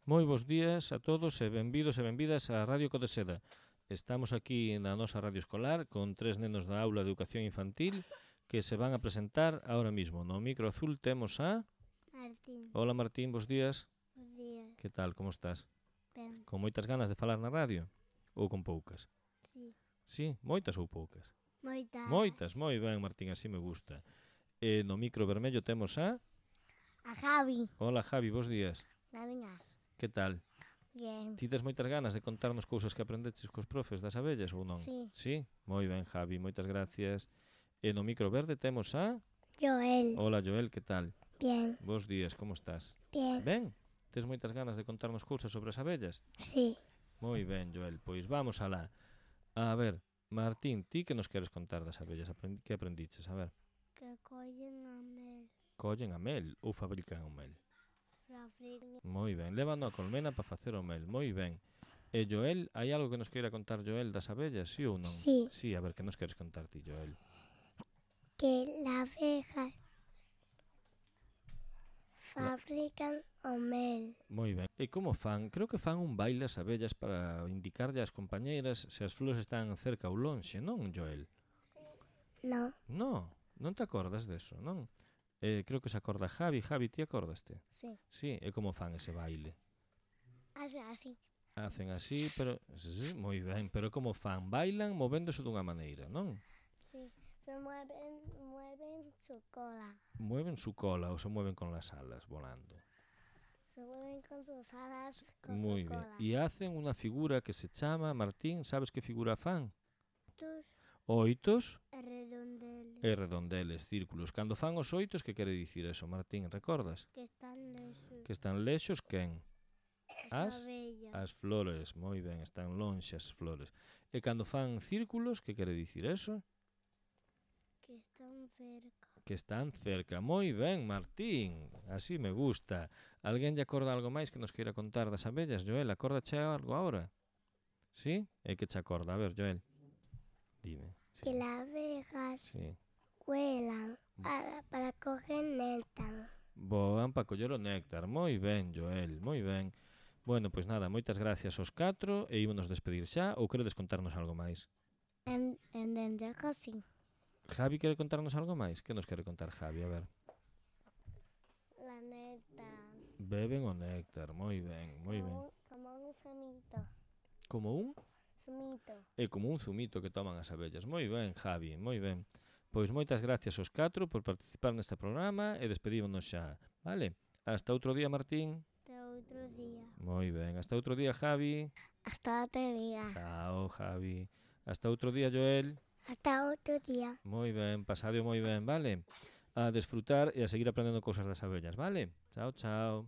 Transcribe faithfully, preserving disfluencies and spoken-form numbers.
Moi bons días a todos e benvidos e benvidas á Radio Codeseda. Estamos aquí na nosa radio escolar con tres nenos da aula de educación infantil que se van a presentar ahora mismo. No micro azul temos a... Martín, Hola Martín, bons días. bos días. Que tal, como estás? Ben, Con moitas ganas de falar na radio? Ou con poucas? sí. Sí, moitas ou poucas? Moitas. Moitas, moi ben Martín, así me gusta. E no micro vermello temos a... A Javi. Hola Javi, bons días. Naringas. Que tal? Bien. Ti tes moitas ganas de contarnos cousas que aprendeches cos profes das abellas ou non? Sí. Sí? Moi ben, Javi, moitas gracias. E no micro verde temos a... Joel. Hola, Joel, que tal? Bien. Bos días, como estás? Bien. Ben? Tes moitas ganas de contarnos cousas sobre as abellas? Sí. Moi ben, Joel, pois vamos alá. A ver, Martín, ti que nos queres contar das abellas? Aprendi... Que aprendiches? A ver. Que collen a mel. Collen a mel ou fabrican o mel? Pra frir. Moi ben, levan a colmena para facer o mel, moi ben. E Joel, hai algo que nos queira contar Joel das abellas, sí ou non? Sí. Sí, a ver, que nos queres contar ti, Joel? Que la abeja fabrican o mel. Moi ben. E como fan? Creo que fan un baile as abellas para indicarlle ás compañeiras se as flores están cerca ou lonxe, non, Joel? No. No, non te acordas deso, non? Eh, creo que se acorda Javi. Javi, ti acordaste? Sí. Sí, e como fan ese baile? Hace así. Hacen así, pero... Sí, moi ben, pero como fan? Bailan movéndose dunha maneira, non? Sí. Se mueven, mueven su cola. Mueven su cola ou se mueven con las alas volando. Se mueven con sus alas, con Moi su ben. cola. E hacen unha figura que se chama, Martín, sabes que figura fan? Tus Oitos redondeles. e redondeles, círculos. Cando fan os oitos, que quere dicir eso, Martín? Recordas? Que están lesos. Que están lexos quen? As, abellas. as flores, moi ben, están lonxe as flores. E cando fan círculos, que quere dicir eso? Que están cerca. Que están cerca. Moi ben, Martín, así me gusta. Alguén lle acorda algo máis que nos queira contar das abellas, Joel? Acórdache algo agora? Sí? E que che acorda? A ver, Joel. Dime. Sí. Que las abejas Sí. vuelan para, para coger néctar. Voan para coller o néctar. Moi ben, Joel, moi ben. Bueno, pois nada, moitas gracias aos catro e ímonos despedir xa ou queredes contarnos algo máis? En, en dentro así. Javi quere contarnos algo máis? Que nos quere contar Javi? A ver. La néctar. Beben o néctar, moi ben, moi ben. Como, como un zumito. Como un? Zumito. É como un zumito que toman as abellas. Moi ben, Javi, moi ben. Pois moitas gracias aos catro por participar neste programa e despedímonos xa, vale? Hasta outro día, Martín. Hasta otro día. Moi ben, hasta outro día, Javi. Hasta otro día. Chao, Javi. Hasta outro día, Joel. Hasta otro día. Moi ben, pasadio moi ben, vale? A desfrutar e a seguir aprendendo cousas das abellas, vale? Chao, chao.